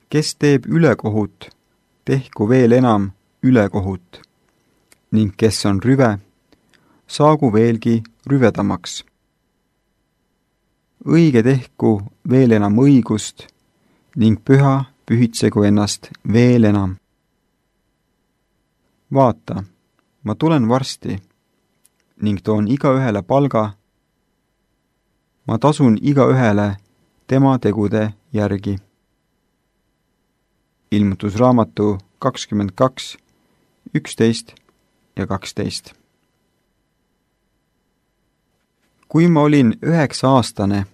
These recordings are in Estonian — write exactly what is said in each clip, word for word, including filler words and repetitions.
kes teeb ülekohut, tehku veel enam ülekohut, ning kes on rüve, saagu veelgi rüvedamaks. Õige tehku veel enam õigust, ning püha pühitsegu ennast veel enam. Vaata, ma tulen varsti, ning toon igaühele palga. Ma tasun igaühele tema tegude järgi. Ilmutusraamatu kakskümmend kaks, üksteist ja kaksteist. Kui ma olin üheksa aastane,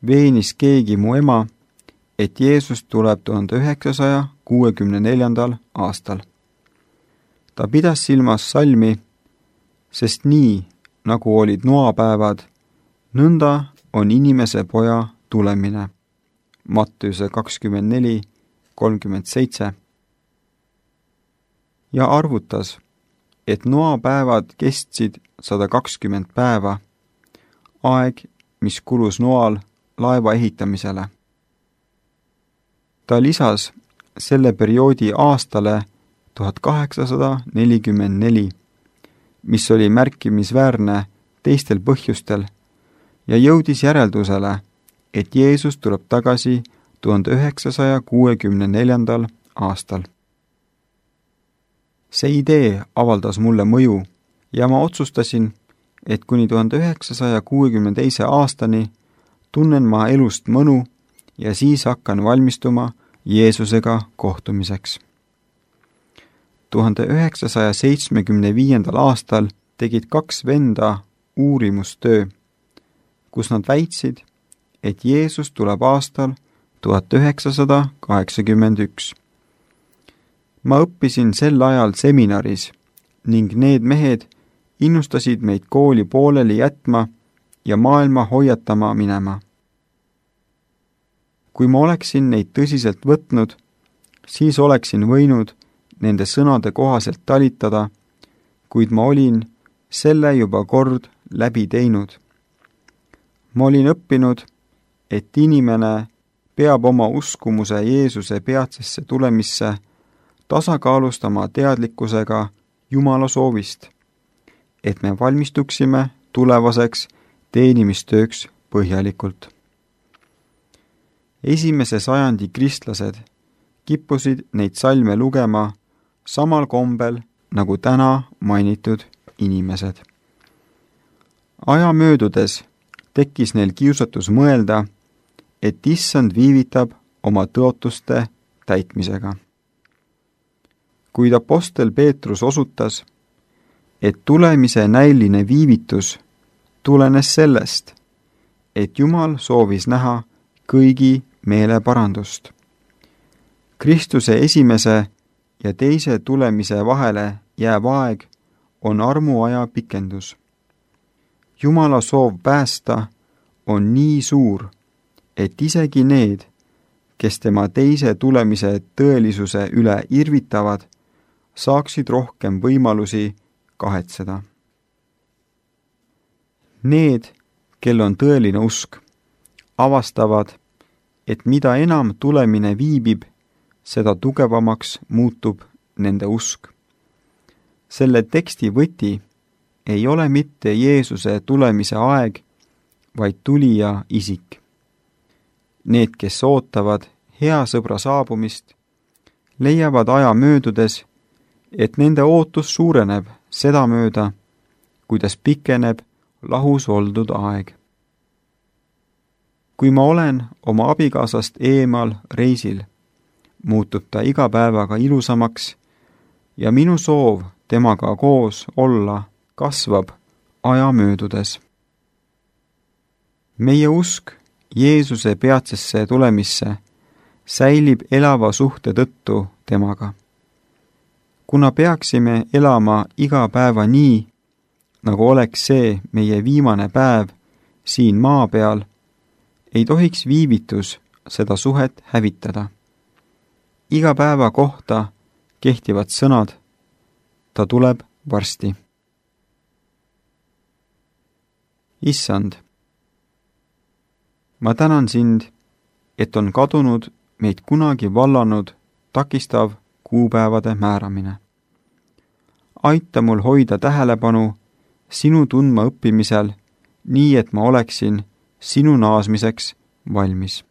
veenis keegi mu ema, et Jeesus tuleb tuhande üheksasaja kuuekümne neljandal aastal. Ta pidas silmas salmi, sest nii, nagu olid noapäevad, nõnda on inimese poja tulemine. Matteuse kakskümmend neli, kolmkümmend seitse. Ja arvutas, et noapäevad kestsid sada kakskümmend päeva, aeg, mis kulus noal laeva ehitamisele. Ta lisas selle perioodi aastale tuhat kaheksasada nelikümmend neli, mis oli märkimisväärne teistel põhjustel, ja jõudis järeldusele, et Jeesus tuleb tagasi tuhande üheksasaja kuuekümne neljandal aastal. See idee avaldas mulle mõju ja ma otsustasin, et kuni tuhande üheksasaja kuuekümne teise aastani tunnen ma elust mõnu ja siis hakkan valmistuma Jeesusega kohtumiseks. tuhande üheksasaja seitsmekümne viiendal aastal tegid kaks venda uurimustöö, kus nad väitsid, et Jeesus tuleb aastal tuhat üheksasada kaheksakümmend üks. Ma õppisin sel ajal seminaris ning need mehed innustasid meid kooli pooleli jätma ja maailma hoiatama minema. Kui ma oleksin neid tõsiselt võtnud, siis oleksin võinud nende sõnade kohaselt talitada, kuid ma olin selle juba kord läbi teinud. Ma olin õppinud, et inimene peab oma uskumuse Jeesuse peatsesse tulemisse tasakaalustama teadlikkusega Jumala soovist, et me valmistuksime tulevaseks teenimistööks põhjalikult. Esimese sajandi kristlased kippusid neid salme lugema samal kombel nagu täna mainitud inimesed. Aja möödudes tekkis neil kiusatus mõelda, et issand viivitab oma tõotuste täitmisega. Kuid apostel Peetrus osutas, et tulemise näiline viivitus tulenes sellest, et Jumal soovis näha kõigi meeleparandust. Kristuse esimese ja teise tulemise vahele jääv aeg on armuaja pikendus. Jumala soov päästa on nii suur, et isegi need, kes tema teise tulemise tõelisuse üle irvitavad, saaksid rohkem võimalusi kahetseda. Need, kel on tõeline usk, avastavad, et mida enam tulemine viibib, seda tugevamaks muutub nende usk. Selle teksti võti ei ole mitte Jeesuse tulemise aeg, vaid tulija isik. Need, kes ootavad hea sõbra saabumist, leiavad aja möödudes, et nende ootus suureneb sedamööda, kuidas pikeneb lahus oldud aeg. Kui ma olen oma abikaasast eemal reisil, muutub ta iga päevaga ilusamaks ja minu soov temaga koos olla kasvab aja möödudes. Meie usk Jeesuse peatsesse tulemisse säilib elava suhte tõttu temaga. Kuna peaksime elama iga päeva nii, nagu oleks see meie viimane päev siin maa peal, ei tohiks viivitus seda suhet hävitada. Iga päeva kohta kehtivad sõnad, ta tuleb varsti. Issand, ma tänan sind, et on kadunud meid kunagi vallanud takistav kuupäevade määramine. Aita mul hoida tähelepanu sinu tundma õppimisel, nii et ma oleksin sinu naasmiseks valmis.